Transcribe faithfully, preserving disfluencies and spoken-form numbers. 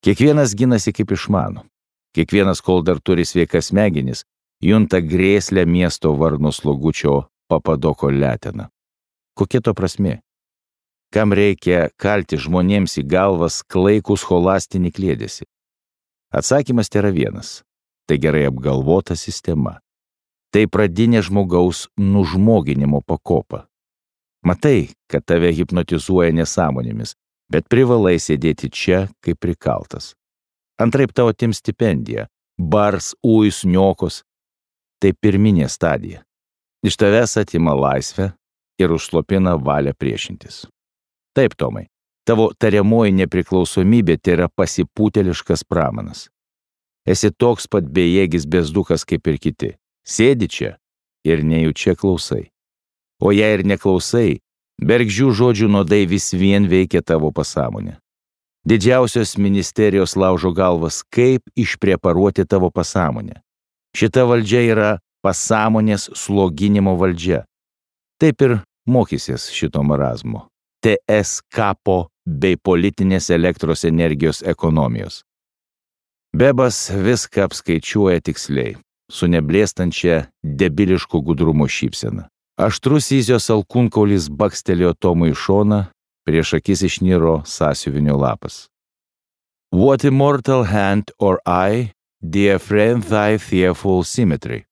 Kiekvienas ginasi kaip išmano. Kiekvienas, kol dar turi sveikas smegenis, junta grėslę miesto varno slogučio Papadoko leteną. Kokia to prasmė? Kam reikia kalti žmonėms į galvas klaikų scholastinį klėdėsi? Atsakymas tai yra vienas. Tai gerai apgalvota sistema. Tai pradinė žmogaus nužmoginimo pakopa. Matai, kad tave hipnotizuoja nesąmonėmis, bet privalai sėdėti čia kaip prikaltas. Antraip tavo atims stipendiją, bars, ujus, niokos. Tai pirminė stadija. Iš tavęs atima laisvę ir užslopina valią priešintis. Taip, Tomai, tavo tariamoji nepriklausomybė tai yra pasipūteliškas pramanas. Esi toks pat bejėgis bezdukas kaip ir kiti. Sėdi čia ir nejučia klausai. O jei ir neklausai, bergždžių žodžių nuodai vis vien veikia tavo pasąmonę. Didžiausios ministerijos laužo galvas, kaip išpreparuoti tavo pasąmonę. Šita valdžia yra pasąmonės sloginimo valdžia. Taip ir mokysies šito marazmo. T S kapo bei politinės elektros energijos ekonomijos. Bebas viską apskaičiuoja tiksliai, su neblėstančia debiliško gudrumo šypsena. Aštrus Izijos alkūnkaulis bakstelėjo Tomui į šoną, prieš akis išniro sąsiuvinio lapas. What immortal hand or eye, dear friend, thy fearful symmetry.